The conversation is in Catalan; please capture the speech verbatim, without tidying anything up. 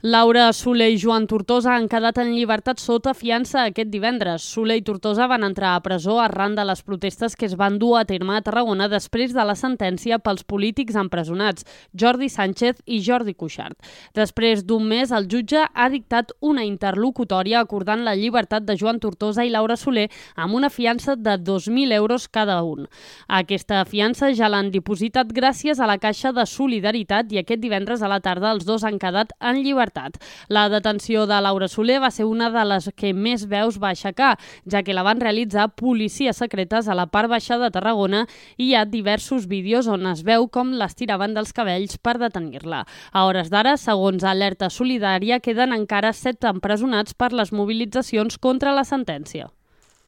Laura Soler i Joan Tortosa han quedat en llibertat sota fiança aquest divendres. Soler i Tortosa van entrar a presó arran de les protestes que es van dur a terme a Tarragona després de la sentència pels polítics empresonats, Jordi Sánchez i Jordi Cuixart. Després d'un mes, el jutge ha dictat una interlocutòria acordant la llibertat de Joan Tortosa i Laura Soler amb una fiança de dos mil euros cada un. Aquesta fiança ja l'han dipositat gràcies a la Caixa de Solidaritat i aquest divendres a la tarda els dos han quedat en llibertat. La detenció de Laura Soler va ser una de les que més veus va aixecar, ja que la van realitzar policies secretes a la part baixa de Tarragona i hi ha diversos vídeos on es veu com l'estiraven dels cabells per detenir-la. A hores d'ara, segons Alerta Solidària, queden encara set empresonats per les mobilitzacions contra la sentència.